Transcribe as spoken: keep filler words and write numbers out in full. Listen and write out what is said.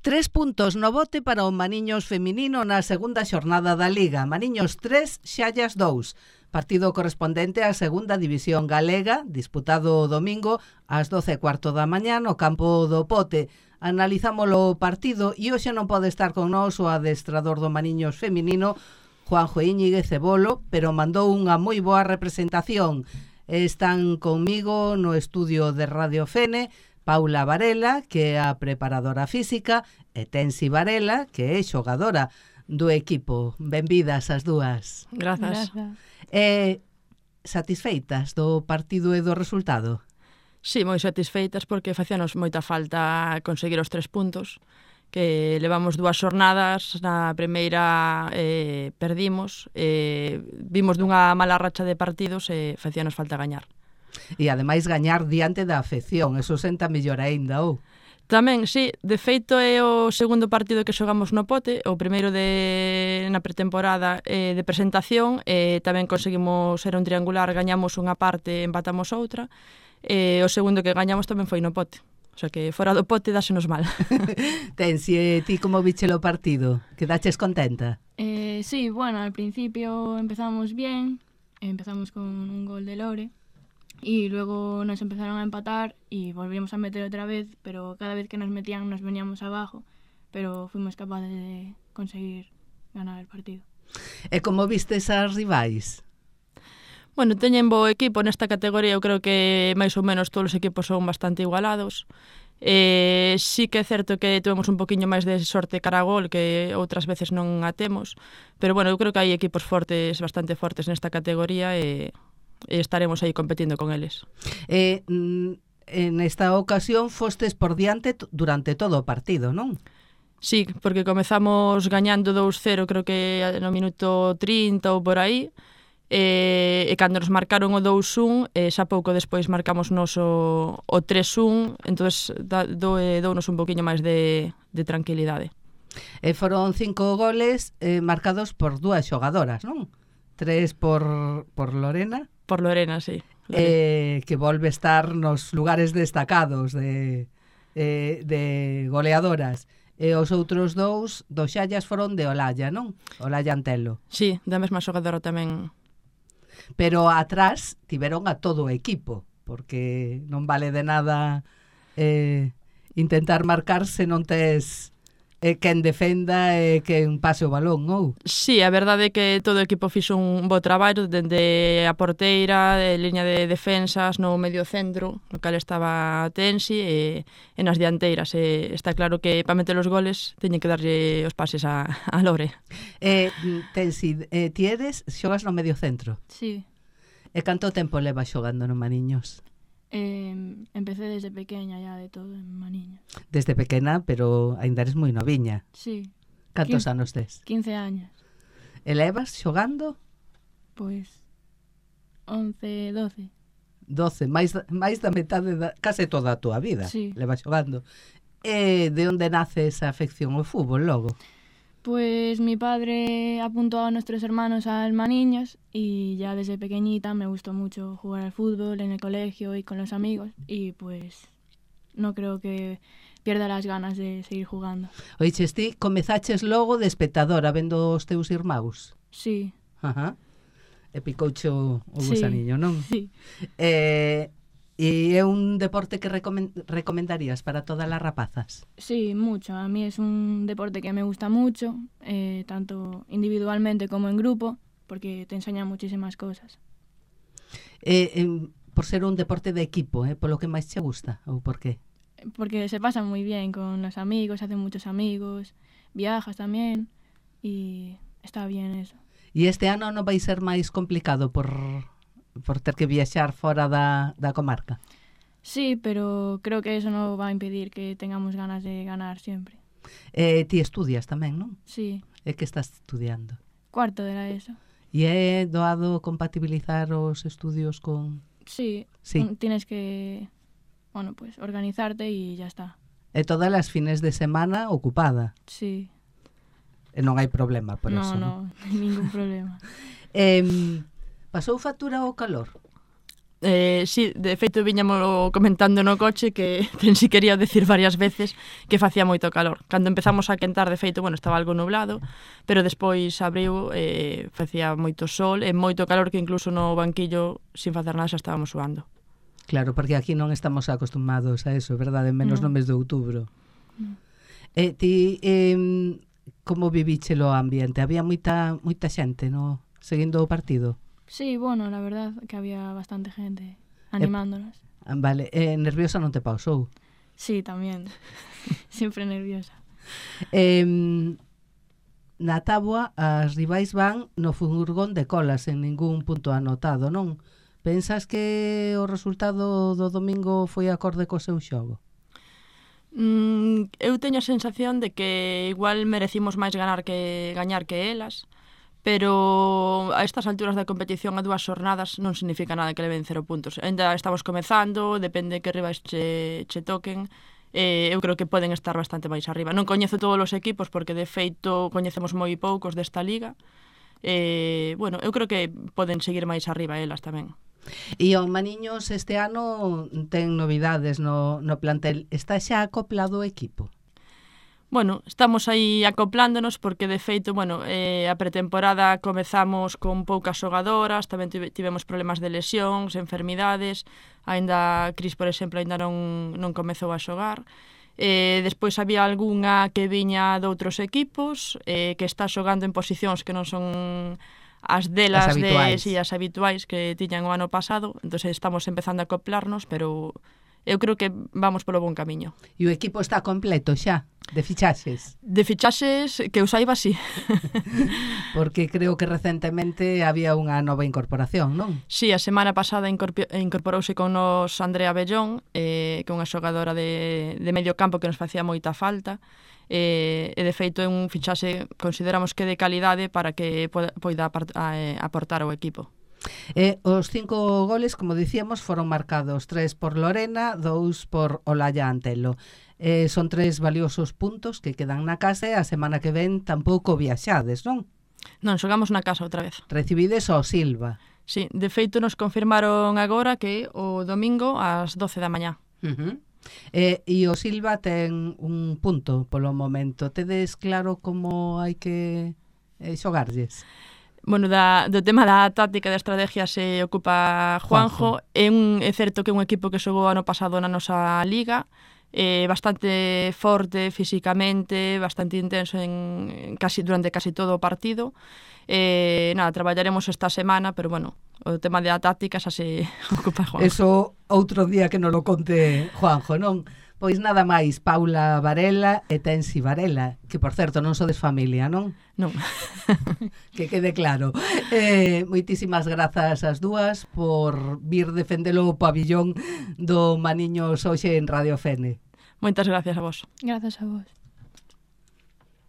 Tres puntos no bote para o Maniños feminino na segunda xornada da Liga. Maniños tres, Xallas dous. Partido correspondente á segunda división galega, disputado o domingo ás doce e cuarto da mañá no campo do Pote. Analizámolo o partido e hoxe non pode estar con nós o adestrador do Maniños feminino, Juanjo Íñiguez Cebolo, pero mandou unha moi boa representación. Están conmigo no estudio de Radio Fene Paula Varela, que é a preparadora física, e Tensi Varela, que é xogadora do equipo. Benvidas as dúas. Grazas. Eh, satisfeitas do partido e do resultado? Sí, moi satisfeitas porque facíanos moita falta conseguir os tres puntos, que levamos dúas xornadas, na primeira eh, perdimos, eh, vimos dunha mala racha de partidos e facíanos falta gañar. E ademais gañar diante da afección, eso senta mellor aínda, ou? Tamén, sí, de feito é o segundo partido que xogamos no Pote, o primeiro de na pretemporada eh, de presentación, e eh, tamén conseguimos ser un triangular, gañamos unha parte, empatamos outra, e eh, o segundo que gañamos tamén foi no Pote. O sea que fora do Pote dásenos mal. Tensi, e ti como vichelo o partido? Quedaches contenta? Eh, sí, bueno, al principio empezamos bien, empezamos con un gol de Lore, y luego nos empezaron a empatar y volvimos a meter otra vez, pero cada vez que nos metían nos veníamos abajo, pero fuimos capaces de conseguir ganar el partido. E como vistes as rivais? Bueno, teñen bo equipo nesta categoría, eu creo que máis ou menos todos os equipos son bastante igualados. Eh, sí que é certo que tuvemos un poquinho máis de sorte cara a gol, que outras veces non a temos, pero bueno, eu creo que hai equipos fortes, bastante fortes nesta categoría e, e estaremos aí competindo con eles. Eh, en esta ocasión fostes por diante durante todo o partido, non? Sí, porque comezamos gañando dous cero, creo que no minuto trinta ou por aí, e, e cando nos marcaron o dous un, e xa pouco despois marcamos nos o, o tres un, entonces dounos un poquinho máis de, de tranquilidade. E foron cinco goles eh, marcados por dúas xogadoras, non? Tres por, por Lorena. Por Lorena, sí. Eh, que volve estar nos lugares destacados de, eh, de goleadoras. E os outros dous dos Xallas foron de Olalla, non? Olalla Antelo. Sí, da mesma xogadora tamén. Pero atrás tiveron a todo o equipo, porque non vale de nada eh, intentar marcar se non tes eh, quen defenda e quen pase o balón, ou? Sí, a verdade é que todo o equipo fixo un bo traballo, dende a porteira, de liña de defensas, no medio centro, no cal estaba Tensi, e, e nas dianteiras. E está claro que para meter os goles teñen que darlle os pases a, a Lore. Eh, Tensi, eh, ti eres, xogas no medio centro? Sí. E canto tempo leva xogando no Maniños? Eh, empecé desde pequeña ya de todo en Maniños. Desde pequena, pero aínda eres moi noviña. Sí. Cantos Quin- anos tes? quince años. E levas xogando? Pois once, doce. doce, máis, máis da metade, da, case toda a túa vida. Sí. Levas xogando. E de onde nace esa afección ao fútbol logo? Pues mi padre apuntó a nuestros hermanos al Maniños y ya desde pequeñita me gustó mucho jugar al fútbol en el colegio y con los amigos y pues no creo que pierda las ganas de seguir jugando. Oiches, ti comezaches logo de espectadora vendo os teus irmãos? Sí. Ajá. E picouche o, o Sí. gusaniño, non? Sí. Eh, e é un deporte que recomen- recomendarías para todas as rapazas? Sí, mucho. A mí es un deporte que me gusta mucho, eh, tanto individualmente como en grupo, porque te enseña muchísimas cosas. Eh, eh, por ser un deporte de equipo, eh, polo que máis che gusta, ou por qué? Porque se pasa muy bien con los amigos, hacen muchos amigos, viajas también y está bien eso. E este ano non vai ser máis complicado por, por ter que viaxar fora da, da comarca? Sí, pero creo que eso no va a impedir que tengamos ganas de ganar siempre. Eh, ti estudias tamén, non? Sí, E que estás estudiando? cuarto de la ESO. E é doado compatibilizar os estudios con... Sí, Sí. un- tienes que, bueno, pues organizarte y ya está. E todas as fines de semana ocupada. Sí, E non hai problema por no, eso. no, ningún problema. Eh, pasou factura o calor? Eh, sí, de feito viñamos comentando no coche que ten si quería decir varias veces que facía moito calor. Cando empezamos a quentar, de feito, bueno, estaba algo nublado, pero despois abriu, eh, facía moito sol e moito calor que incluso no banquillo, sin facer nada, xa estábamos suando. Claro, porque aquí non estamos acostumados a eso, verdade? Menos no, no mes de outubro. No. Eh, ti, eh, como vivíchelo o ambiente? Había moita moita xente, no, seguindo o partido? Sí, bueno, la verdad que había bastante gente animándonos. Eh, vale, eh, nerviosa non te pausou? Sí, tamén. Siempre nerviosa. Eh, na táboa, as rivais van no furgón de colas, en ningún punto anotado, non? Pensas que o resultado do domingo foi acorde co seu xogo? Mm, eu teño a sensación de que igual merecimos máis ganar que gañar que elas, pero a estas alturas da competición a dúas xornadas non significa nada que leven cero puntos. Ainda estamos comezando, depende que rivais che, che toquen, eh, eu creo que poden estar bastante máis arriba. Non coñezo todos os equipos porque de feito coñecemos moi poucos desta liga. Eh, bueno, eu creo que poden seguir máis arriba elas tamén. E o Maniños este ano ten novidades no, no plantel. Está xa acoplado o equipo? Bueno, estamos aí acoplándonos porque, de feito, bueno, eh, a pretemporada comezamos con poucas xogadoras, tamén tivemos problemas de lesións, enfermidades, aínda Cris, por exemplo, aínda non, non comezou a xogar. Eh, despois había algunha que viña de outros equipos, eh, que está xogando en posicións que non son as delas, as habituais. de, sí, as habituais que tiñan o ano pasado, entón estamos empezando a acoplarnos, pero eu creo que vamos polo bon camiño. E o equipo está completo xa, de fichaxes? De fichaxes, que eu saiba, sí. Porque creo que recentemente había unha nova incorporación, non? Sí, a semana pasada incorporouse con nos Andrea Bellón, eh, que é unha xogadora de, de medio campo que nos facía moita falta, eh, e de feito é un fichaxe, consideramos que de calidade para que poida aportar ao equipo. E os cinco goles, como dicíamos, foron marcados tres por Lorena, dous por Olaya Antelo. Eh, son tres valiosos puntos que quedan na casa e a semana que ven tampouco viaxades, non? Non, xogamos na casa outra vez. Recibides ao Silva. Sí, de feito nos confirmaron agora que o domingo ás doce da mañá. Uh-huh. Eh, e o Silva ten un punto polo momento. Tedes claro como hai que eh, xogarlles? Bueno, da, do tema da táctica e da estrategia se ocupa Juanjo. Juanjo. É, un, é certo que é un equipo que xogou ano pasado na nosa liga, eh, bastante forte físicamente, bastante intenso en, casi, durante casi todo o partido. Eh, nada, traballaremos esta semana, pero bueno, o tema da táctica xa se ocupa Juanjo. Eso outro día que nos lo conte Juanjo, non? Pois nada máis, Paula Varela e Tensi Varela, que por certo non sodes familia, non? Non. Que quede claro. Eh, moitísimas grazas as dúas por vir defendelo o pabillón do Maniños hoxe en Radio Fene. Moitas gracias a vos. Grazas a vos.